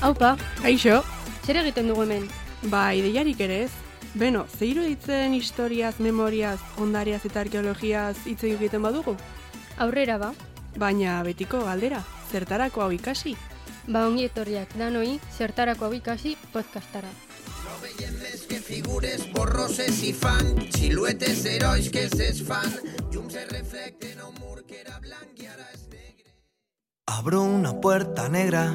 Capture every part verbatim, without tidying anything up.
Aupa, Kaixo, zer egiten dugu hemen? ba, ideiarik ere ez. Beno, ze iruditzen historiaz, memoriaz, ondariaz eta arkeologiaz hitz egiten badugu? Aurrera ba, Baina betiko galdera, zertarako hau ikasi? ba ongi etorriak danoi, zertarako hau ikasi podcastara. No veiem més que figures borroses i fan, siluetes herois que se desfan, llums se reflecten a un mur que era blanc i ara és negre. Abro una puerta negra,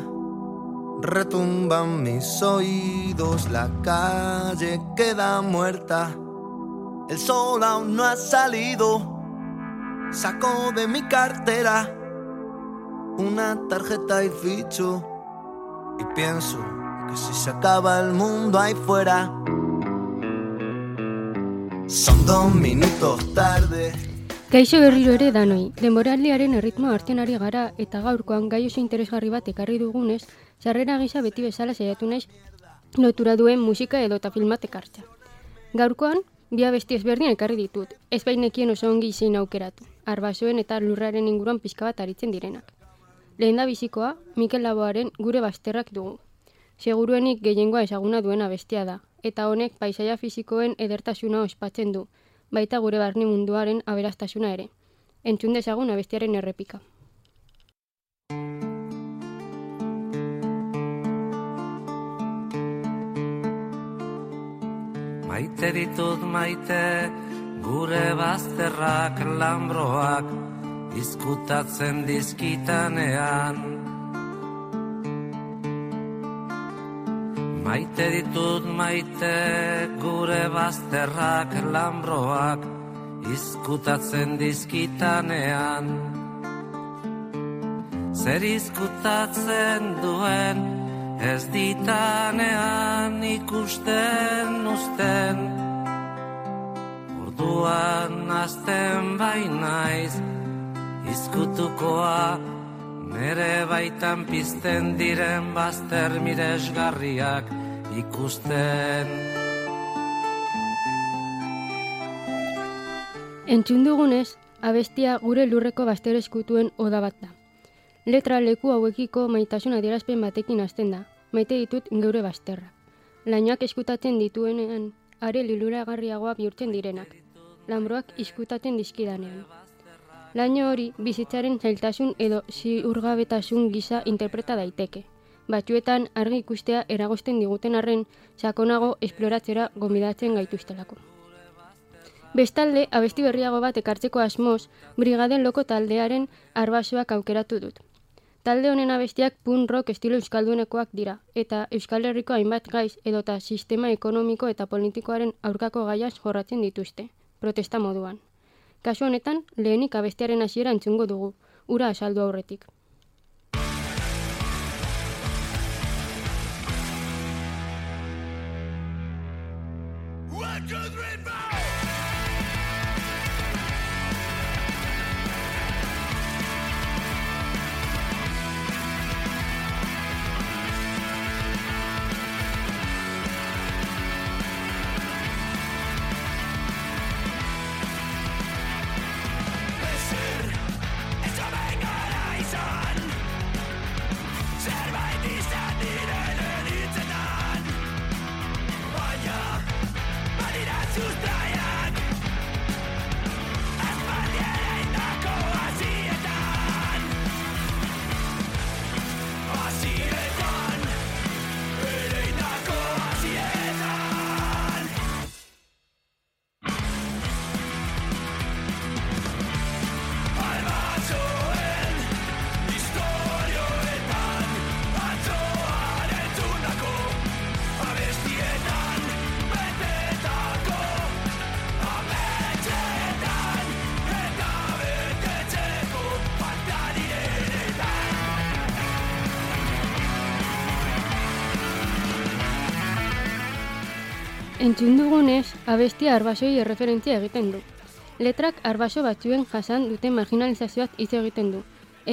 retumban mis oídos, la calle queda muerta, el sol aún no ha salido, saco de mi cartera una tarjeta y ficho y pienso que si se acaba el mundo ahí fuera, son dos minutos tarde. Kaixo berriro ere danoi, denboraldiaren erritmoa hartzen ari gara eta gaurkoan gai oso interesgarri bat ekarri dugunez, sarrera gisa beti bezala saiatu naiz lotura duen musika edota filmat ekartza. Gaurkoan, bi abesti ezberdin ekarri ditut, ez bainekien oso ongi zein aukeratu, arbasoen eta lurraren inguruan pixka bat aritzen direnak. Lehen da bizikoa, Mikel Laboaren Gure Bazterrak dugu. Seguruenik gehiengoa ezaguna duen abestia da, eta honek paisaia fisikoen edertasuna ospatzen du, baita gure barne munduaren aberastasuna ere. Entzun dezagun abestiaren errepika. Maite ditut maite, gure bazterrak lambroak, izkutatzen dizkitanean. Maite ditut maite, gure bazterrak lambroak, izkutatzen dizkitanean. Zer izkutatzen duen, ez ditanean ikusten uzten. Orduan azten bainaiz, izkutukoa, nere baitan pizten diren bazter miresgarriak ikusten. Entzun dugunez, abestia gure lurreko bazter eskutuen oda bat da. Letra leku hauekiko maitasun adierazpen batekin hasten da, maite ditut geure bazterrak. Lainoak eskutatzen dituenean, are liluragarriagoa bihurtzen direnak. Lambroak izkutatzen dizkidanean. Laino hori bizitzaren zailtasun edo ziurgabetasun gisa interpreta daiteke. Batzuetan argi ikustea eragozten diguten arren, sakonago esploratzera gonbidatzen gaituztelako. Bestalde, abesti berriago bat ekartzeko asmoz, Brigaden Loko taldearen arbasoak aukeratu dut. Talde honen abestiak punk rock estilo euskaldunekoak dira, eta Euskal Herriko hainbat gaiz edota sistema ekonomiko eta politikoaren aurkako gaiaz jorratzen dituzte, protesta moduan. Kasu honetan, lehenik abestiaren hasiera entzungo dugu, ura azaldu aurretik. Entzun dugunez, abestia arbasoi erreferentzia egiten du. Letrak arbaso batzuen jasan duten marginalizazioak hitz egiten du.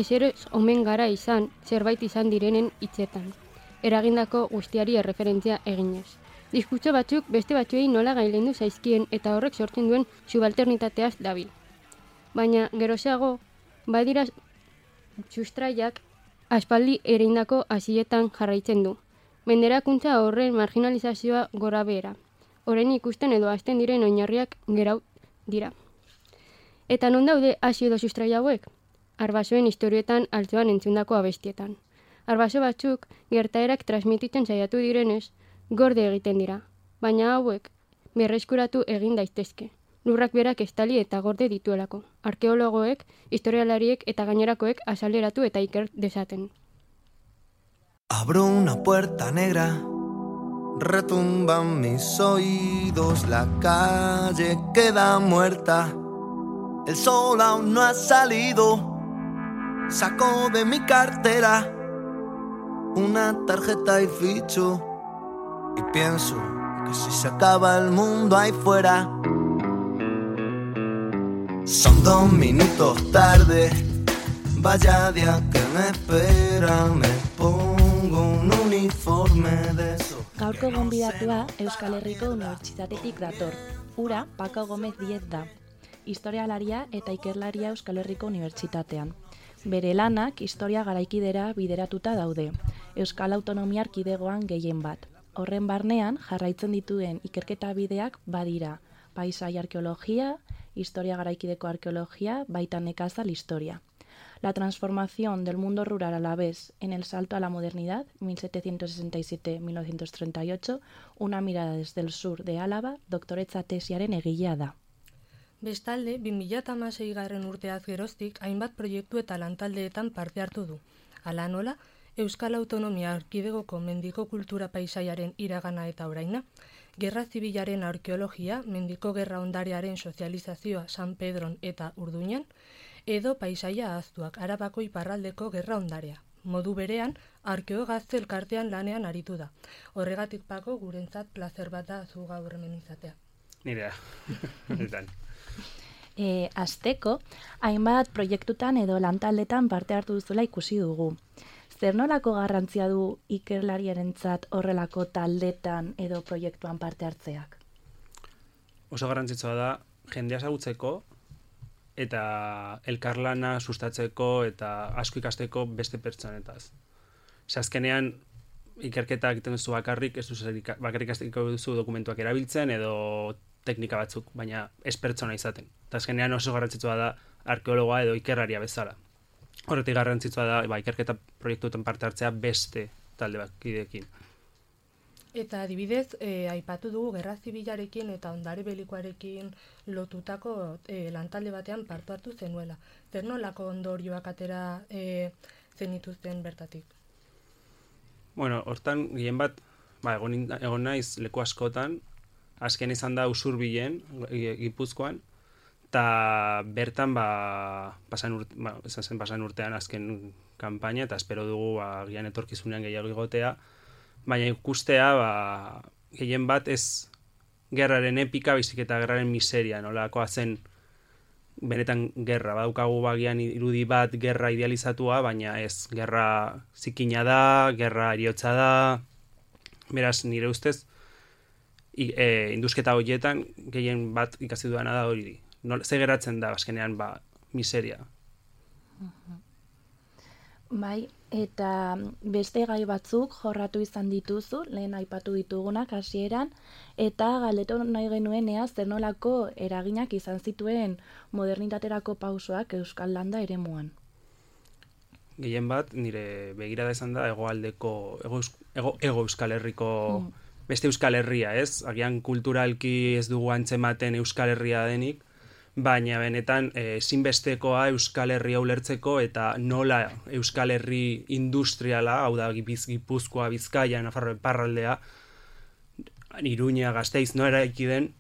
Ezeroz omen gara izan, zerbait izan direnen hitzetan. Eragindako guztiari erreferentzia eginez. Diskurtso batzuk beste batzuei nola gailendu zaizkien eta horrek sortzen duen subalternitateaz dabil. Baina geroxeago, badira sustraiak aspaldi ereindako hasietan jarraitzen du. Menderakuntza horren marginalizazioa gora behera. Orain ikusten edo hasten diren oinarriak gerau dira. Eta non daude hasi edo sustrai hauek? Arbasoen historietan altzoan entzundako abestietan. Arbaso batzuk gertaerak transmititzen saiatu direnez, gorde egiten dira, baina hauek berreskuratu egin daitezke. Lurrak berak estali eta gorde dituelako. Arkeologoek, historialariek eta gainerakoek azaleratu eta iker dezaten. Abro una puerta negra, retumban mis oídos, la calle queda muerta, el sol aún no ha salido, saco de mi cartera una tarjeta y ficho, y pienso que si se acaba el mundo ahí fuera, son dos minutos tarde, vaya día que me espera, me pongo un uniforme de eso. Gaurko gonbidatua Euskal Herriko Unibertsitatetik dator. Ura Paco Gómez Diez da, historialaria eta ikerlaria Euskal Herriko Unibertsitatean. Bere lanak historia garaikidera bideratuta daude, Euskal Autonomia Erkidegoan gehien bat. Horren barnean jarraitzen dituen ikerketa bideak badira, paisai arkeologia, historia garaikideko arkeologia, baita nekazal historia. La transformación del mundo rural alavés en el salto a la modernidad, mil setecientos sesenta y siete a mil novecientos treinta y ocho, una mirada desde el sur de Álava, doktoretza tesiaren egilea da. Bestalde, bi mila hamaseigarren urteaz geroztik hainbat proiektu eta lantaldeetan parte hartu du. Hala nola, Euskal Autonomia Erkidegoko mendiko kultura paisaiaren iragana eta oraina, Gerra Zibilaren arkeologia, mendiko gerra ondarearen sozializazioa San Pedron eta Urduñan, edo paisaia ahaztuak Arabako iparraldeko gerra ondarea. Modu berean, arkeo gazte elkartean lanean aritu da. Horregatik Pako gurentzat plazer bat da zu gaur hemen izatea. Nirea. E, Azteko, hainbat proiektutan edo lantaldetan parte hartu duzula ikusi dugu. Zer nolako garrantzia du ikerlariarentzat horrelako taldetan edo proiektuan parte hartzeak? Oso garrantzitsua da jendea ezagutzeko eta elkarlana sustatzeko eta asko ikasteko beste pertsonetaz. Ze azkenean ikerketa egiten duzu bakarrik, ez duzu bakarrik ikasteko duzu dokumentuak erabiltzen edo teknika batzuk, baina ez pertsona izaten. Eta azkenean oso garrantzitsua da arkeologoa edo ikerlaria bezala. Horretik garrantzitsua da ba, ikerketa proiektuetan parte hartzea beste talde bakideekin. Eta adibidez, eh, aipatu dugu Gerra Zibilarekin eta ondare belikoarekin lotutako eh, lantalde batean parte hartu zenuela. Zer nolako ondorioak atera eh, zenituzten bertatik? Bueno, hortan gehien bat, ba, egon, egon naiz leku askotan, azken izan da Usurbilen, Gipuzkoan, eta bertan ba, pasan, urte, ba, zen pasan urtean azken kanpaina, eta espero dugu ba, gian etorkizunean gehiago igotea, baina ikustea ba, gehien bat ez gerraren epika, baizik eta gerraren miseria, nolakoa zen benetan gerra, badaukagu bagian irudi bat gerra idealizatua, baina ez, gerra zikina da, gerra eriotza da, beraz nire ustez, I, e, indusketa horietan gehien bat ikasi duana da hori. No, ze geratzen da, azkenean, ba, miseria. Bai, eta beste gai batzuk jorratu izan dituzu, lehen aipatu ditugunak hasieran, eta galdetu nahi genuen ea zer nolako eraginak izan zituen modernitaterako pausoak Euskal Landa eremuan. Gehien bat, nire begirada izan da hegoaldeko, ego, ego, ego Euskal Herriko mm. beste Euskal Herria, ez? Agian kulturalki ez dugu antzematen Euskal Herria denik, baina benetan ezinbestekoa Euskal Herria ulertzeko eta nola Euskal Herri industriala, hau da Gipuzkoa, Bizkaia, Nafarroa, Iparraldea, Iruña, Gasteiz, no eraiki den,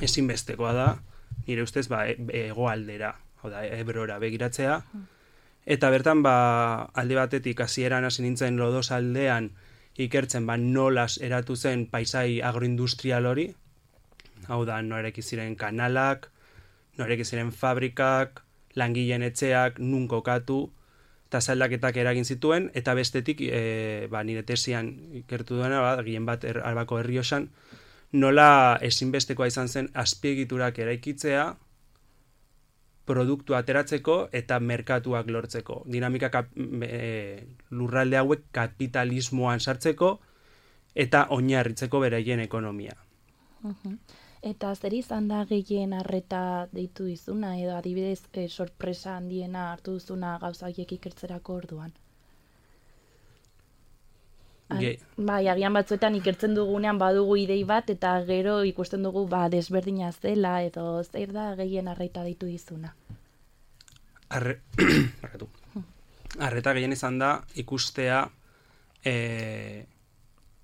ezinbestekoa da, nire ustez, ba, hegoaldera, hau da, Ebrora begiratzea, eta bertan, ba, alde batetik hasieran hasi nintzen Lodos aldean ikertzen, ba, nolas eratu zen paisai agroindustrial hori, hau da, noreki ziren kanalak, noreki ziren fabrikak, langileen etxeak, nun kokatu, eta zaldaketak eragin zituen, eta bestetik, e, ba, nire tesian ikertu duena, ba, gien bat er, Albako Errioxan, nola ezinbestekoa izan zen azpiegiturak eraikitzea, produktu ateratzeko eta merkatuak lortzeko. Dinamika kap, e, lurralde hauek kapitalismoan sartzeko eta oinarritzeko beraien ekonomia. Uh-huh. Eta zer izan da gehien arreta deitu dizuna, edo adibidez e, sorpresa handiena hartu duzuna gauza horiek ikertzerako orduan? Ge... Bai, agian batzuetan ikertzen dugunean badugu idei bat, eta gero ikusten dugu ba, desberdina zela, edo zer da gehien arreta deitu dizuna? Arre... Arreta gehien izan da ikustea e...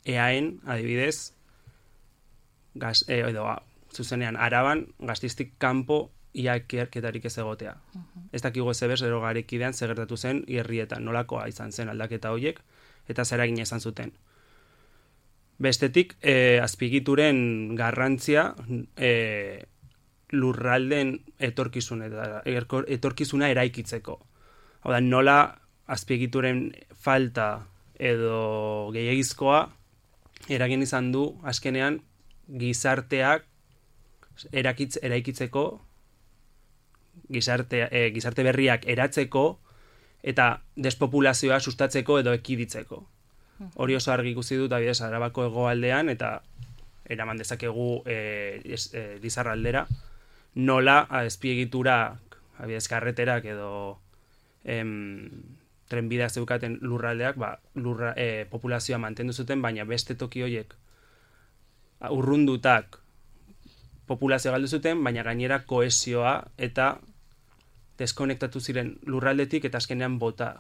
eaen, adibidez, gaz, e, edo, zuzenean, Araban, Gastiztik kanpo ia ikerketarik ez egotea. Uh-huh. Ez dakigu ez ebez, ero garekidean segertatu zen herrietan, nolakoa izan zen aldaketa horiek, eta zer egin izan zuten. Bestetik, e, azpigituren garrantzia e, lurralden etorkizun eta etorkizuna eraikitzeko. Hau da, nola azpigituren falta edo gehiagizkoa eragin izan du azkenean gizarteak erakitz, eraikitzeko, gizarte, e, gizarte berriak eratzeko eta despopulazioa sustatzeko edo ekiditzeko. Hori oso argi ikusi dut adibidez Arabako hegoaldean eta eraman dezakegu e, es, e, Lizarraldera, nola azpiegiturak, adibidez karreterak edo em, trenbideak zeukaten lurraldeak, ba, lurra, e, populazioa mantendu zuten, baina beste toki horiek urrundutak populazioa galdu zuten, baina gainera kohesioa eta deskonektatu ziren lurraldetik eta azkenean bota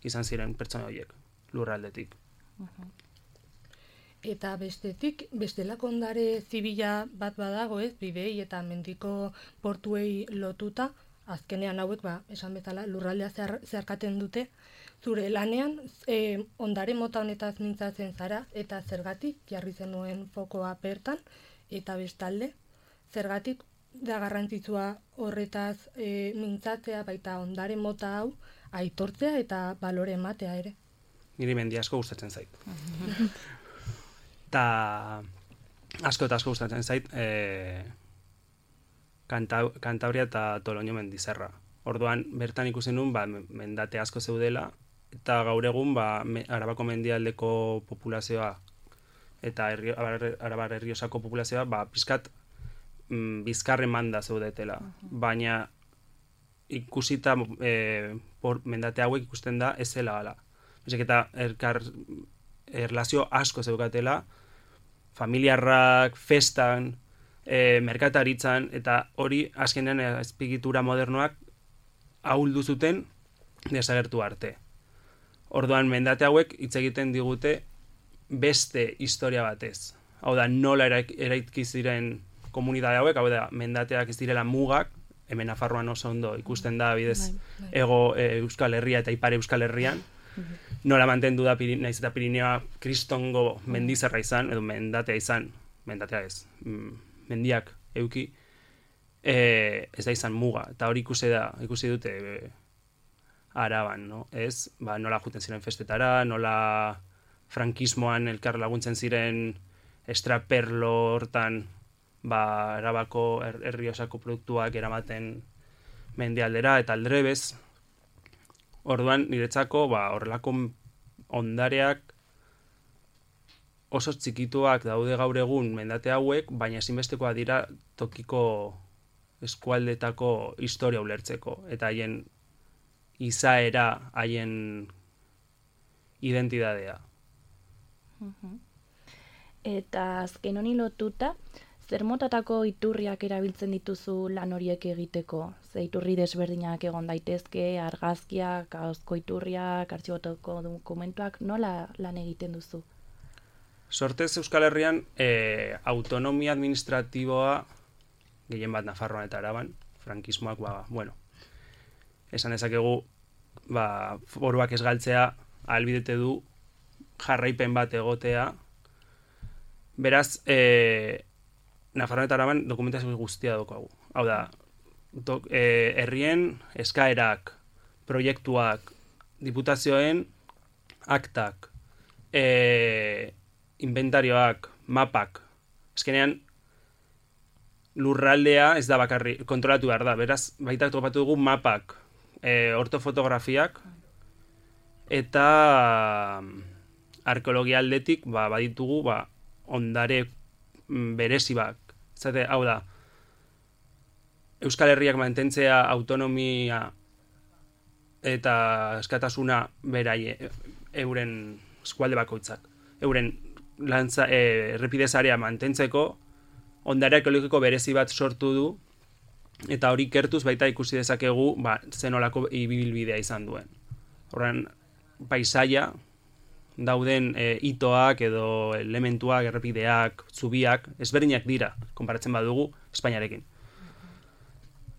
izan ziren pertsona horiek lurraldetik. Uh-huh. Eta bestetik, bestelako ondare zibila bat badago, ez, bidei eta mendiko portuei lotuta, azkenean hauek, ba, esan bezala, lurraldea zehar, zeharkaten dute, zure lanean e, ondare mota honetaz mintzatzen zara, eta zergatik jarri zenuen fokoa bertan, eta bestalde, zergatik da garrantzitsua horretaz e, mintzatzea, baita ondare mota hau aitortzea eta balore ematea ere. Niri mendi asko gustatzen zait. Ta asko eta asko gustatzen zait e, Kanta, Kantabria eta Toloño mendizerra. Orduan bertan ikusi nun ba, mendate asko zeudela eta gaur egun ba, me, Arabako mendialdeko populazioa eta herri, Arabar Erriosako populazioa ba, pizkat mm, bizkarre manda zeudetela. Uh-huh. Baina ikusita e, por, mendate hauek ikusten da ez zela gala. Ezek eta erkar, erlazio asko zeukatela, familiarrak, festan, e, merkataritzan, eta hori azkenean azpigitura modernoak ahuldu zuten desagertu arte. Orduan mendate hauek hitz egiten digute beste historia batez. Hau da, nola eraiki ziren komunitate hauek, hau da, mendateak ez direla mugak, hemen Nafarroan oso ondo ikusten da, bidez, ego e, Euskal Herria eta ipare Euskal Herrian, nola mantendu da naiz eta Pirineoa kristongo mendizerra izan, edo mendatea izan, mendatea ez, mendiak euki, e, ez da izan muga, eta hori ikusi da, ikusi dute e, Araban, no? Ez, ba, nola juten ziren festetara, nola frankismoan elkar laguntzen ziren estraperlo hortan, ba, Arabako er, Erriosako produktuak eramaten mendialdera eta aldrebez. Orduan, niretzako, ba, horrelako ondareak oso txikituak daude gaur egun mendate hauek, baina ezinbestekoa dira tokiko eskualdetako historia ulertzeko, eta haien izaera, haien identidadea. Uh-huh. Eta azken honi lotuta, zer motatako iturriak erabiltzen dituzu lan horiek egiteko? Ze iturri desberdinak egon daitezke, argazkiak, ahozko iturriak, artxibotoko dokumentuak, nola lan egiten duzu? Sortez Euskal Herrian e, autonomia administratiboa gehien bat Nafarroan eta Araban, frankismoak, ba, bueno, esan dezakegu, ba, foruak ez galtzea ahalbidete du jarraipen bat egotea. Beraz, e, Nafarroan eta Araban dokumentazio guztia daukagu. Hau da, dok, e, herrien eskaerak, proiektuak, diputazioen aktak, e, inventarioak, mapak, azkenean lurraldea ez da bakarri, kontrolatu behar da, beraz, baita topatu dugu mapak, e, ortofotografiak, eta arkeologia aldetik, ba, baditugu, ba, ondare berezi bak. Zate, hau da, Euskal Herriak mantentzea autonomia eta eskatasuna berai euren eskualde bakoitzak. Euren lantza, e, errepidezarea mantentzeko ondare arkeologiko berezi bat sortu du, eta hori kertuz baita ikusi dezakegu ba, zenolako ibilbidea izan duen. Horren, paisaia, dauden e, itoak edo elementuak, errepideak, zubiak, ezberdinak dira, konparatzen badugu, Espainiarekin.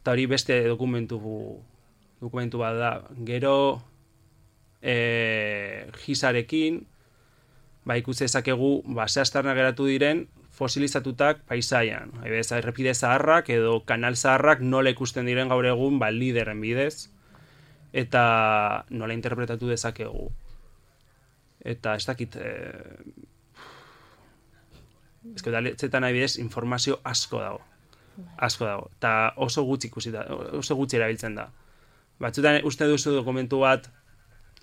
Eta hori beste dokumentu dokumentu bat da. Gero e, gizarekin, ba, ikusi dezakegu, ba, zehaztarna geratu diren fosilizatutak paisaian. Haibez, errepide zaharrak edo kanal zaharrak nola ikusten diren gaur egun ba, lideren bidez, eta nola interpretatu dezakegu. Eta ez dakit, eh, ez que udaletzetan adibidez informazio asko dago. Asko dago. Eta oso gutxi ikusi da, oso gutxi erabiltzen da. Batzutan uste duzu dokumentu bat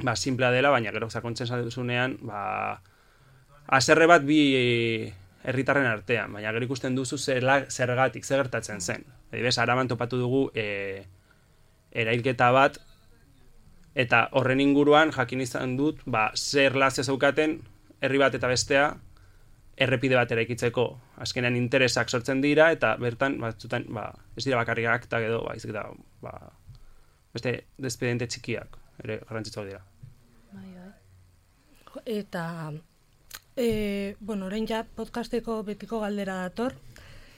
ba, simplea dela, baina gero sakontzen duzunean, ba, haserre bat bi herritarren artean, baina gero ikusten duzu zerla, zergatik, zer gertatzen zen. Adibidez, Araban topatu dugu e, erailketa bat, eta horren inguruan jakin izan dut, ba, zer lazio zeukaten herri bat eta bestea errepide bat eraikitzeko. Azkenean interesak sortzen dira, eta bertan, batzutan, ba, ez dira bakarrik aktak edo, ba, izik da, ba, beste despediente txikiak, ere garrantzitsuak dira. Bai, bai. Eta, e, bueno, orain ja podcasteko betiko galdera dator,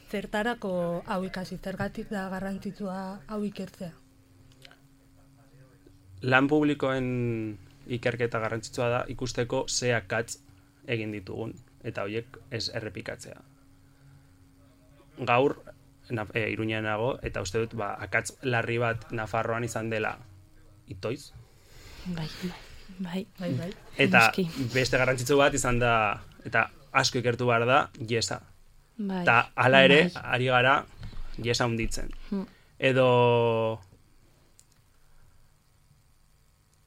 zertarako hau ikasi, zergatik da garrantzitsua hau ikertzea? Lan publikoen ikerketa garrantzitsua da ikusteko ze akats egin ditugun, eta horiek ez errepikatzea. Gaur, na, e, Iruñean nago, eta uste dut, ba, akats larri bat Nafarroan izan dela itoiz. Bai, bai, bai, bai. Eta beste garrantzitsu bat izan da, eta asko ikertu behar da, Yesa. Bai. Eta hala ere, Bai. ari gara, Yesa hunditzen. Hmm. Edo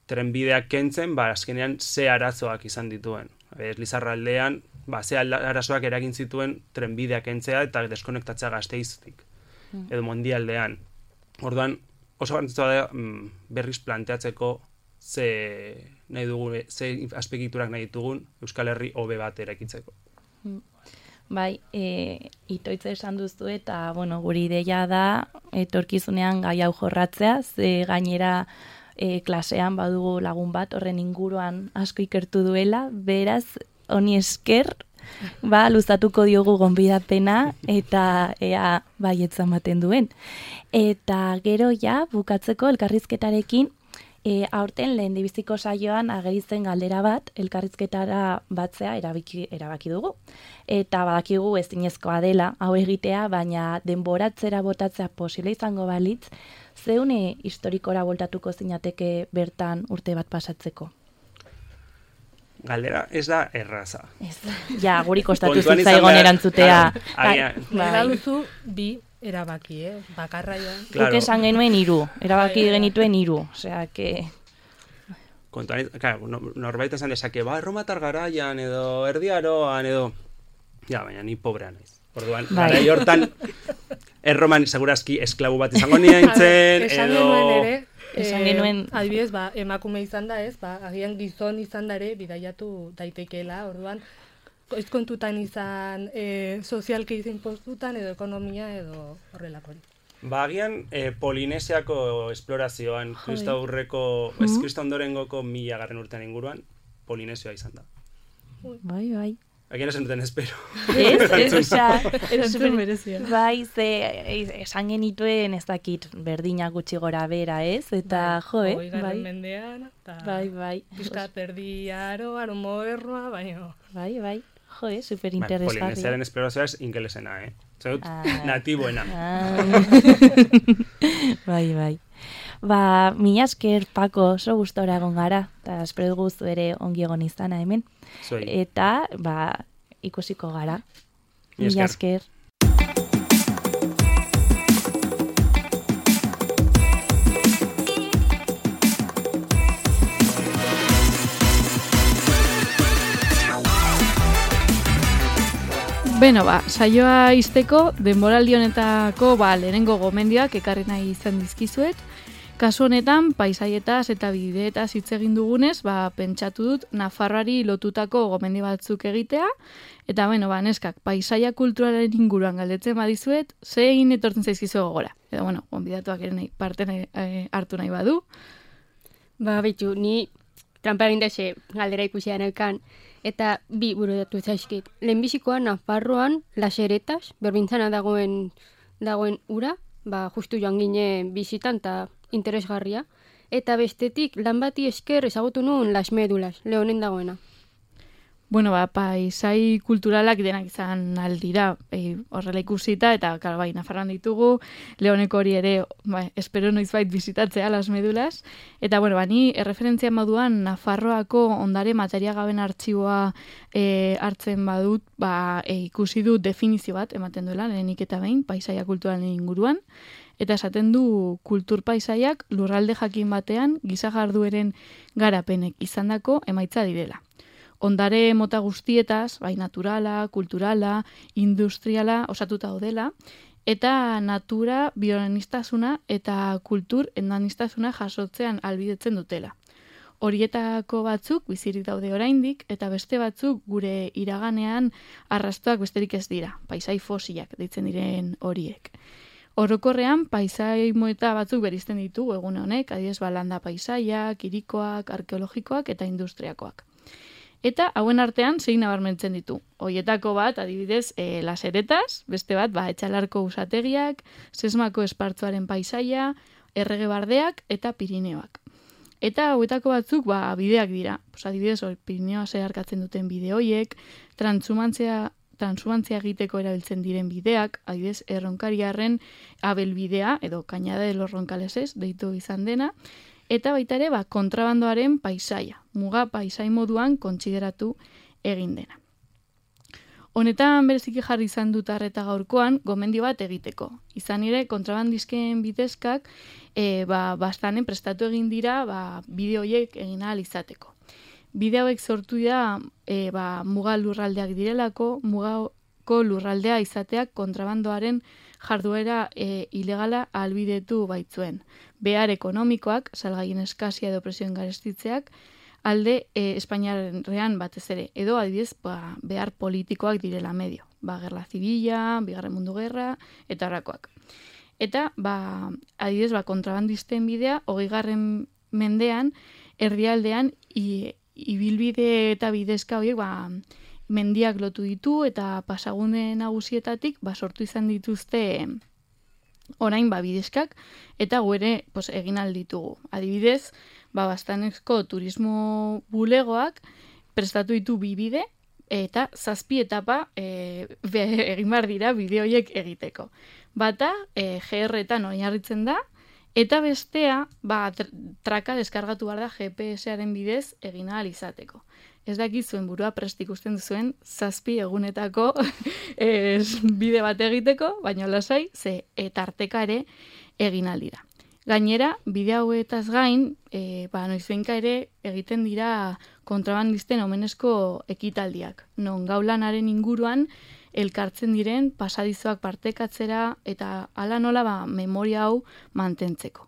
trenbideak kentzen, ba, azkenean ze arazoak izan dituen. Ez, Lizarraldean, ba, ze arazoak eragin zituen trenbideak kentzea eta deskonektatzea Gasteiztik. Hmm. Edo Mondialdean. Orduan, oso garrantzitsua da mm, berriz planteatzeko ze nahi dugun, ze azpegiturak nahi ditugun Euskal Herri hobe bat eraikitzeko. Hmm. Bai, e, itoitze esan duzu eta, bueno, guri ideia da etorkizunean gai hau jorratzea, ze gainera e, klasean badugu lagun bat horren inguruan asko ikertu duela, beraz, honi esker, ba, luzatuko diogu gonbidapena eta ea baietza ematen duen. Eta gero ja, bukatzeko elkarrizketarekin, E, aurten lehen dibiziko saioan ageritzen galdera bat, elkarrizketara batzea erabaki, erabaki dugu. Eta badakigu ezinezkoa dela, hau egitea, baina denboratzera botatzea posible izango balitz, zeune historikora voltatuko zinateke bertan urte bat pasatzeko? Galdera ez da erraza. Ez, ja, guri kostatu zitzaigon erantzutea. Gara duzu bi erabaki, eh? Bakarra joan. Claro. Guk esan genuen hiru, erabaki Bai, bai. genituen hiru, osea, que... Kontuan, claro, norbait esan dezake, ba, erromatar garaian edo erdiaroan edo... Ja, baina ni pobrea naiz. Orduan, bai. Garai hortan, erroman segurazki esklabu bat izango nintzen, Esan edo... genuen ere, Esan eh, genuen... adibidez, ba, emakume izan da ez, ba, agian gizon izan da ere bidaiatu daitekeela, orduan, ez kontutan izan e, sozialki izin postutan edo ekonomia edo horrelako. Ba, agian eh, Polinesiako esplorazioan, kristaurreko, ez kristaundorengoko mila garren urtean inguruan, Polinesioa izan da. Bai, bai. Agian esan duten espero. Ez, ez, osea, Erantzun berezia. Bai, ze, esan genituen ez dakit berdina gutxi gora bera, ez? Eta, jo, eh? Hogeigarren mendean, eta Bai, bai. pizka perdi aro, aro modernoa, baina... Bai, bai. Jo, eh? Super Ba, interesgarria. Polinesiaren esplorazioa ez ingelesena, eh? Zerut, Ah. natiboena. Ah. Bai, bai. Ba, mila esker, Pako, oso gustora egon gara, eta espero dugu zu ere ongi egon izana hemen. Zuei. Eta, ba, ikusiko gara. Mila Mila esker. esker. Beno, ba, saioa izteko, denboraldi honetako ba, lehenengo gomendioak ekarri nahi izan dizkizuet. Kasu honetan, paisaietaz eta bideetaz hitz egin dugunez, ba, pentsatu dut Nafarroari lotutako gomendi batzuk egitea, eta bueno, ba, neskak, paisaia kulturalen inguruan galdetzen badizuet, zein etortzen zaizkizu gogora. Edo, bueno, gonbidatuak ere nahi, parte nahi, eh, hartu nahi badu. Ba, bitu, ni trampa egin dese galdera ikusia neukan, eta bi burudatu zaizkit. Lehenbizikoa Nafarroan laseretaz, berbintzana dagoen dagoen ura, ba, justu joan ginen bizitan eta interesgarria. Eta bestetik, lan bati esker ezagutu nuen Las Médulas, Leonen dagoena. Bueno, ba, paisai kulturalak denak izan aldira, e, horrela ikusita, eta klar, bai, Nafarroan ditugu, Leoneko hori ere, ba, espero noizbait bizitatzea, Las Médulas, eta bueno, ba, ni erreferentzia moduan Nafarroako ondare materiagaben artxiboa e, hartzen badut, ba, e, ikusi dut definizio bat, ematen duela, lehenik eta behin, paisaia kulturalen inguruan, eta esaten du kultur paisaiak lurralde jakin batean giza jardueren garapenek izandako emaitza direla. Ondare mota guztietaz, bai naturala, kulturala, industriala osatuta daudela, eta natura, bionistasuna eta kultur endanistasuna jasotzean albidetzen dutela. Horietako batzuk bizirik daude oraindik eta beste batzuk gure iraganean arrastoak besterik ez dira, paisai fosilak deitzen diren horiek. Orokorrean, paisai moeta batzuk berizten ditugu egun honek, adibidez balanda paisaiak, kirikoak, arkeologikoak eta industriakoak. Eta hauen artean zein nabarmentzen ditu. Hoietako bat, adibidez, e, laseretaz, beste bat, ba, etxalarko usategiak, sesmako espartzuaren paisaia, errege bardeak eta Pirineoak. Eta hauetako batzuk, ba, bideak dira. Pues, adibidez, hori, Pirineoa zeharkatzen duten bide hoiek, transhumantzia, transhumantzia egiteko erabiltzen diren bideak, adibidez, erronkariarren abelbidea, edo Cañada de los Roncaleses, deitu izan dena, eta baita ere, ba, kontrabandoaren paisaia, muga paisai moduan kontsideratu egin dena. Honetan bereziki jarri izan dut arreta gaurkoan, gomendio bat egiteko. Izan ere, kontrabandizken bidezkak, e, ba, bastanen prestatu egin dira, ba, bide horiek egin ahal izateko. Bide hauek sortu dira, e, ba, muga lurraldeak direlako, mugako lurraldea izateak kontrabandoaren jarduera e, ilegala ahalbidetu baitzuen. Behar ekonomikoak, salgaien eskazia edo presioen garestitzeak, alde e, Espainiarrean batez ere, edo adibidez ba, behar politikoak direla medio. Ba, gerla zibila, bigarren mundu gerra, eta horrakoak. Eta, ba, adibidez, ba, kontrabandisten bidea, hogeigarren mendean, erdialdean, i, ibilbide eta bidezka horiek, ba, mendiak lotu ditu eta pasagune nagusietatik ba, sortu izan dituzte orain ba, bidezkak eta guere pues, egin alditugu. Adibidez, ba, bastanezko turismo bulegoak prestatu ditu bi bide eta zazpi etapa e, be, egin behar dira bide horiek egiteko. Bata, e, G R-etan oinarritzen da, eta bestea, ba, traka deskargatu behar da G P S-aren bidez egin ahal izateko. Ez dakit zuen burua prest ikusten duzuen zazpi egunetako es, bide bat egiteko, baina lasai, ze etarteka ere egin aldira. Gainera, bide hauetaz gain, e, ba, noizbenka ere egiten dira kontrabandisten omenezko ekitaldiak. Non gaulanaren inguruan elkartzen diren pasadizoak partekatzera eta hala nola ba, memoria hau mantentzeko.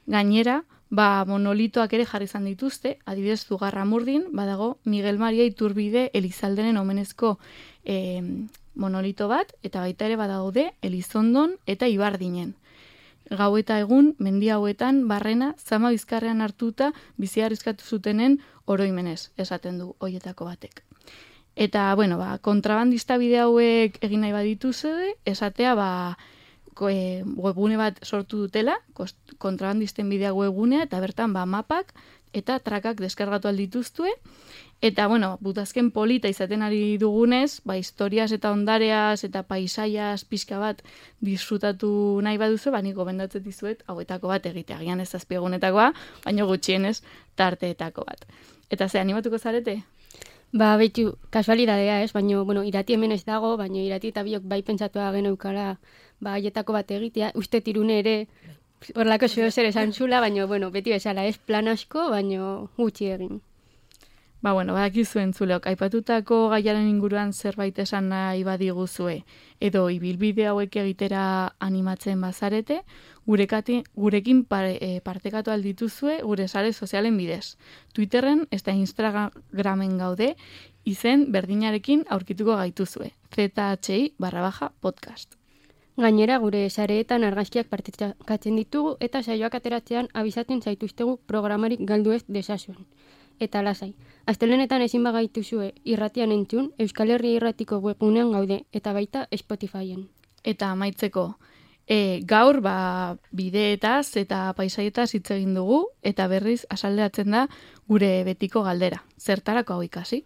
Gainera, ba, monolitoak ere jarri izan dituzte, adibidez Zugarramurdin, badago Miguel Maria Iturbide Elizalderen omenezko e, monolito bat, eta baita ere badaude Elizondon eta Ibardinen. Gau eta egun, mendi hauetan, barrena, zama bizkarrean hartuta bizi arriskatu zutenen oroimenez, esaten du hoietako batek. Eta, bueno, ba, kontrabandista bide hauek egin nahi badituzue, esatea, ba, webgune bat sortu dutela, kontrabandisten bidea webgunea, eta bertan ba, mapak eta trakak deskargatu aldituztue, eta, bueno, butazken polita izaten ari dugunez, ba, historiaz eta ondareaz eta paisaiaz pixka bat disfrutatu nahi baduzu, ba, niko bendatzen dizuet, hauetako bat egitea, gian ez azpiegunetakoa, baina gutxienez tarteetako bat. Eta ze, animatuko zarete? Ba, behitu, kasualidadea ez, baina, bueno, irati hemen ez dago, baina irati eta biok bai pentsatua geneukara, ba, aietako bat egitea, uste tirune ere, horlako zeo zer esan zula, baina, bueno, beti bezala ez plan asko, baina gutxi egin. Ba, bueno, badakizu entzuleok, aipatutako gaiaren inguruan zerbait esan nahi badiguzue, edo ibilbide hauek egitera animatzen bazarete, gurekati, gurekin pare, e, partekatu aldituzue gure sare sozialen bidez. Twitterren eta Instagramen gaude, izen berdinarekin aurkituko gaituzue. zhi barra baja podcast. Gainera, gure sareetan argazkiak partekatzen ditugu eta saioak ateratzean abizaten zaituztegu programarik galdu ez desazuen. Eta lasai, astelenetan ezin bagaituzue irratian entzun, Euskal Herria irratiko webgunean gaude eta baita Spotifyen. Eta amaitzeko, e, gaur ba, bideetaz eta paisaietaz hitz egin dugu eta berriz asaldeatzen da gure betiko galdera. Zertarako hau ikasi?